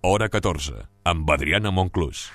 Hora 14, amb Adriana Monclús.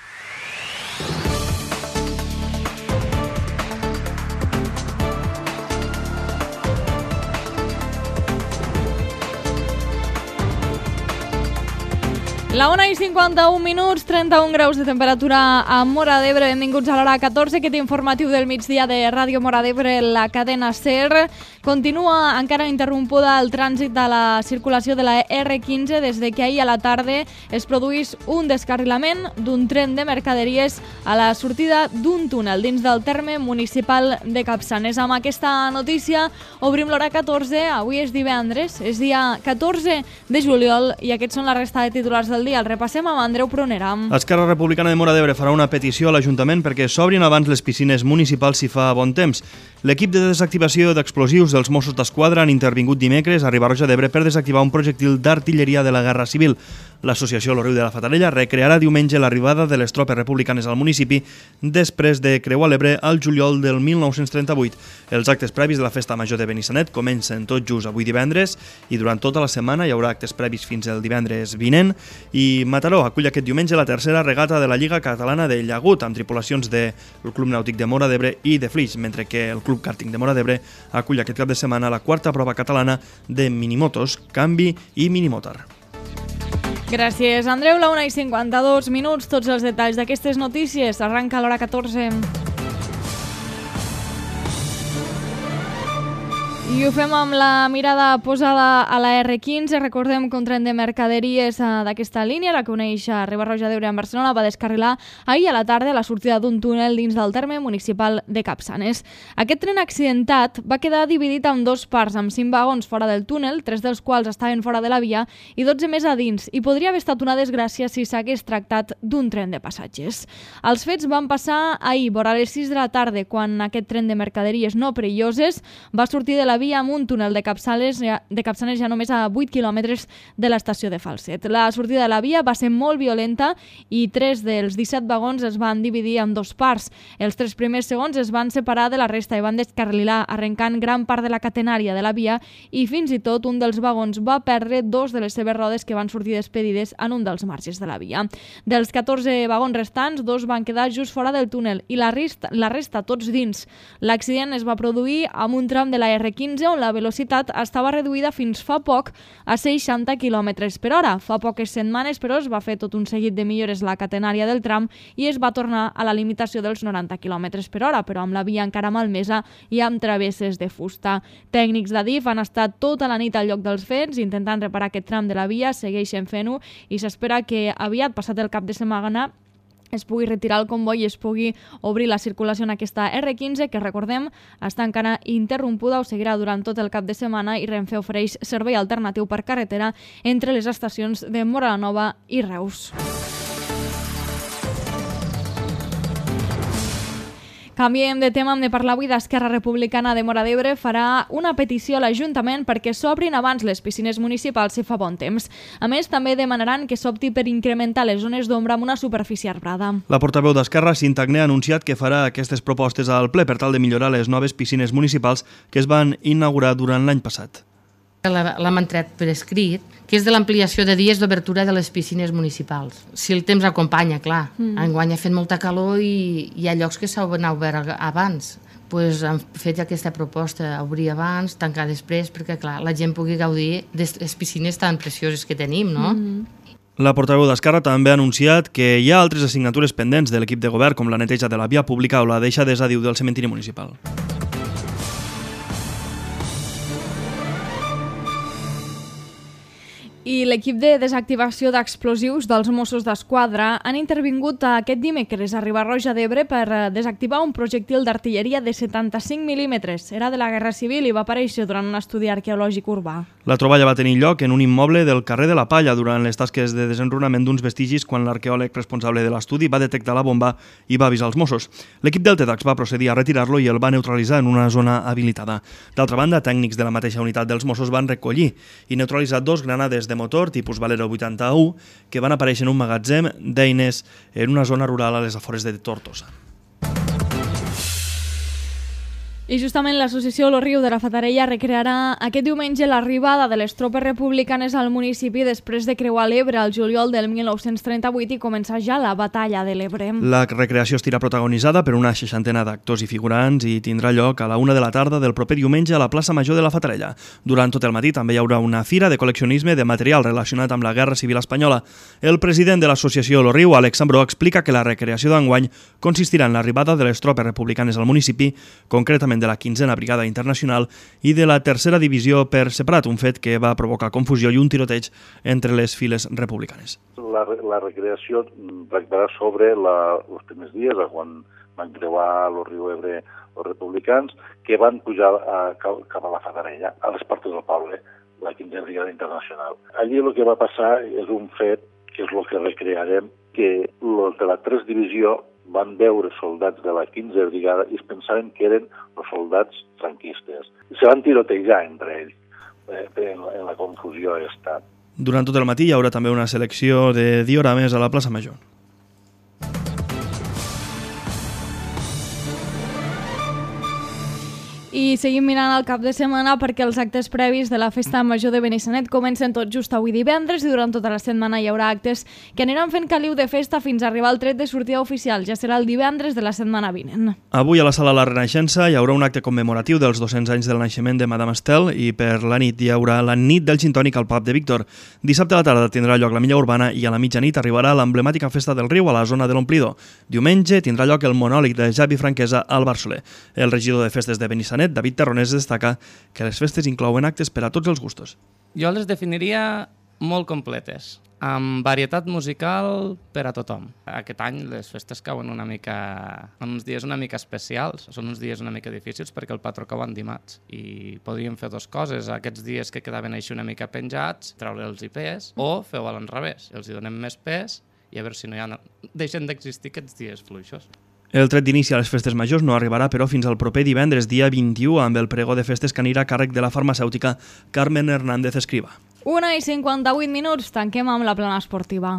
La 1:51, 31 graus de temperatura a Móra d'Ebre. Benvinguts a l'hora 14, aquest informatiu del migdia de Ràdio Móra d'Ebre, la cadena SER. Continua encara interrompuda el trànsit de la circulació de la R15 des de que ahir a la tarda es produís un descarrilament d'un tren de mercaderies a la sortida d'un túnel dins del terme municipal de Capçanes. Amb aquesta notícia obrim l'hora 14. Avui és divendres, és dia 14 de juliol i aquests són la resta de titulars del dia. El repassem amb Andreu Prunera. Esquerra Republicana de Móra d'Ebre farà una petició a l'Ajuntament perquè s'obrin abans les piscines municipals si fa bon temps. L'equip de desactivació d'explosius dels Mossos d'Esquadra han intervingut dimecres a Riba-roja d'Ebre per desactivar un projectil d'artilleria de la Guerra Civil. L'associació Lo Riu de la Fatarella recrearà diumenge l'arribada de les tropes republicanes al municipi després de creuar l'Ebre al juliol del 1938. Els actes previs de la Festa Major de Benissanet comencen tot just avui divendres i durant tota la setmana hi haurà actes previs fins al divendres vinent. I Mataró acull aquest diumenge la tercera regata de la Lliga Catalana de Llagut amb tripulacions del Club Nàutic de Móra d'Ebre i de Flix, mentre que el Club Kàrting de Móra d'Ebre acull aquest cap de setmana la quarta prova catalana de minimotos, canvi i minimotor. Gràcies, Andreu. La 1:52, tots els detalls d'aquestes notícies. Arranca l'hora 14. I ho fem amb la mirada posada a la R15. Recordem que un tren de mercaderies d'aquesta línia, la que uneix a Riba-roja d'Ebre amb Barcelona, va descarrilar ahir a la tarda a la sortida d'un túnel dins del terme municipal de Capçanes. Aquest tren accidentat va quedar dividit en dos parts, amb 5 vagons fora del túnel, 3 dels quals estaven fora de la via i 12 més a dins, i podria haver estat una desgràcia si s'hagués tractat d'un tren de passatgers. Els fets van passar ahir, vora les 6 de la tarda, quan aquest tren de mercaderies no perilloses va sortir de la via amb un túnel de Capçanes ja només a 8 quilòmetres de l'estació de Falset. La sortida de la via va ser molt violenta i 3 dels 17 vagons es van dividir en dos parts. Els 3 primers segons es van separar de la resta i van descarrilar, arrencant gran part de la catenària de la via, i fins i tot un dels vagons va perdre 2 de les seves rodes que van sortir despedides en un dels marges de la via. Dels 14 vagons restants, 2 van quedar just fora del túnel i la resta tots dins. L'accident es va produir amb un tram de la R15 on la velocitat estava reduïda fins fa poc a 60 km per hora. Fa poques setmanes, però, es va fer tot un seguit de millores a la catenària del tram i es va tornar a la limitació dels 90 km per hora, però amb la via encara malmesa i amb travesses de fusta. Tècnics d'Adif han estat tota la nit al lloc dels fets intentant reparar aquest tram de la via, segueixen fent-ho i s'espera que aviat, passat el cap de setmana, es pugui retirar el comboi i es pugui obrir la circulació en aquesta R15, que, recordem, està encara interrompuda o seguirà durant tot el cap de setmana, i Renfe ofereix servei alternatiu per carretera entre les estacions de Móra la Nova i Reus. Canviem de tema, hem de parlar avui d'Esquerra Republicana de Móra d'Ebre. Farà una petició a l'Ajuntament perquè s'obrin abans les piscines municipals si fa bon temps. A més, també demanaran que s'opti per incrementar les zones d'ombra amb una superfície arbrada. La portaveu d'Esquerra, Cinta Agné, ha anunciat que farà aquestes propostes al ple per tal de millorar les noves piscines municipals que es van inaugurar durant l'any passat. L'hem entrat per escrit, que és de l'ampliació de dies d'obertura de les piscines municipals. Si el temps acompanya, clar. Enguany ha fet molta calor i hi ha llocs que s'han obert abans. Pues hem fet aquesta proposta, obrir abans, tancar després, perquè clar, la gent pugui gaudir de les piscines tan precioses que tenim, no? La portaveu d'Esquerra també ha anunciat que hi ha altres assignatures pendents de l'equip de govern, com la neteja de la via pública o la deixadesa, diu, del cementiri municipal. I l'equip de desactivació d'explosius dels Mossos d'Esquadra han intervingut aquest dimecres a Riba-roja d'Ebre per desactivar un projectil d'artilleria de 75 mil·límetres. Era de la Guerra Civil i va aparèixer durant un estudi arqueològic urbà. La troballa va tenir lloc en un immoble del carrer de la Palla durant les tasques de desenrunament d'uns vestigis quan l'arqueòleg responsable de l'estudi va detectar la bomba i va avisar els Mossos. L'equip del TEDx va procedir a retirar-lo i el va neutralitzar en una zona habilitada. D'altra banda, tècnics de la mateixa unitat dels Mossos van recollir i neutralitzar 2 granades de motor tipus Valero 81 que van aparèixer en un magatzem d'eines en una zona rural a les afores de Tortosa. I justament l'associació Lo Riu de la Fatarella recrearà aquest diumenge l'arribada de les tropes republicanes al municipi després de creuar l'Ebre al juliol del 1938 i començar ja la batalla de l'Ebre. La recreació estarà protagonitzada per una 60 d'actors i figurants i tindrà lloc a la 1 de la tarda del proper diumenge a la plaça Major de la Fatarella. Durant tot el matí també hi haurà una fira de col·leccionisme de material relacionat amb la Guerra Civil Espanyola. El president de l'associació Lo Riu, Àlex Ambró, explica que la recreació d'enguany consistirà en l'arribada de les tropes republicanes al municipi, concretament de la 15a Brigada Internacional i de la 3a Divisió per separat, un fet que va provocar confusió i un tiroteig entre les files republicanes. La recreació tractarà sobre els primers dies, quan van creuar el riu Ebre els republicans, que van pujar cap a la Fatarella, a les portes del poble, la 15a Brigada Internacional. Allí el que va passar és un fet, que és el que recrearem, que els de la 3 Divisió van veure soldats de la 15a Brigada i es pensaven que eren els soldats franquistes. Se van tirotejar entre ells en la confusió aquesta. Durant tot el matí hi haurà també una selecció de diorames a la plaça Major. I seguim mirant el cap de setmana perquè els actes previs de la Festa Major de Benissanet comencen tot just avui divendres i durant tota la setmana hi haurà actes que aniran fent caliu de festa fins a arribar al tret de sortida oficial. Ja serà el divendres de la setmana vinent. Avui a la Sala La Renaixença hi haurà un acte commemoratiu dels 200 anys del naixement de Madame Estel i per la nit hi haurà la nit del gin tònic al pub de Víctor. Dissabte a la tarda tindrà lloc la milla urbana i a la mitjanit arribarà l'emblemàtica Festa del Riu a la zona de l'Omplidor. Diumenge tindrà lloc el monòleg de Javi Franquesa al Barcelona. El regidor de festes de Benissanet, David Terronés, destaca que les festes inclouen actes per a tots els gustos. Jo les definiria molt completes, amb varietat musical per a tothom. Aquest any les festes cauen en uns dies una mica especials, són uns dies una mica difícils perquè el patró cau en dimarts i podríem fer dues coses, aquests dies que quedaven així una mica penjats, treure-los pes, o feu a l'enrevés, els hi donem més pes i a veure si deixen d'existir aquests dies fluixos. El tret d'inici a les festes majors no arribarà, però, fins al proper divendres, dia 21, amb el pregó de festes que anirà a càrrec de la farmacèutica Carmen Hernández Escriba. 1:58, tanquem amb la plana esportiva.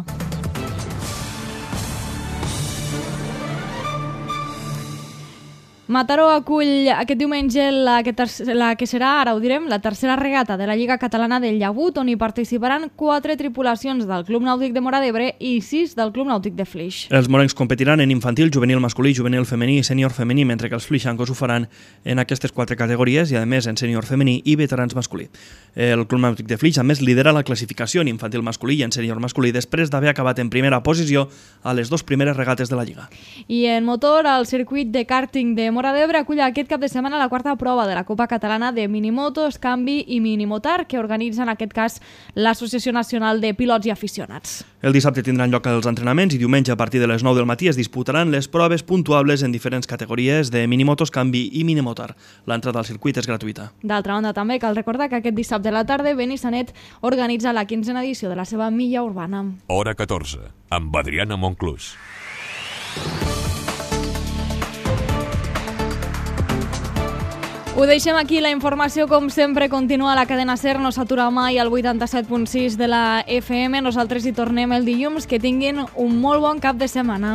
Mataró acull aquest diumenge la que serà, ara ho direm, la tercera regata de la Lliga Catalana del Llagut, on hi participaran 4 tripulacions del Club Nàutic de Móra d'Ebre i 6 del Club Nàutic de Flix. Els morencs competiran en infantil, juvenil masculí, juvenil femení i sènior femení, mentre que els flixancos ho faran en aquestes 4 categories i, a més, en sènior femení i veterans masculí. El Club Nàutic de Flix, a més, lidera la classificació en infantil masculí i en sènior masculí després d'haver acabat en primera posició a les 2 primeres regates de la Lliga. I en motor, el circuit de kàrting de Móra d'Ebre acull aquest cap de setmana la 4a prova de la Copa Catalana de Minimotos, Canvi i Minimotar, que organitza en aquest cas l'Associació Nacional de Pilots i Aficionats. El dissabte tindran lloc els entrenaments i diumenge a partir de les 9 del matí es disputaran les proves puntuables en diferents categories de Minimotos, Canvi i Minimotar. L'entrada al circuit és gratuïta. D'altra banda, també cal recordar que aquest dissabte a la tarda Benissanet organitza la 15a edició de la seva milla urbana. Hora 14, amb Adriana Monclús. Ho deixem aquí, la informació com sempre continua a la cadena SER, no s'atura mai al 87.6 de la FM, nosaltres hi tornem el dilluns, que tinguin un molt bon cap de setmana.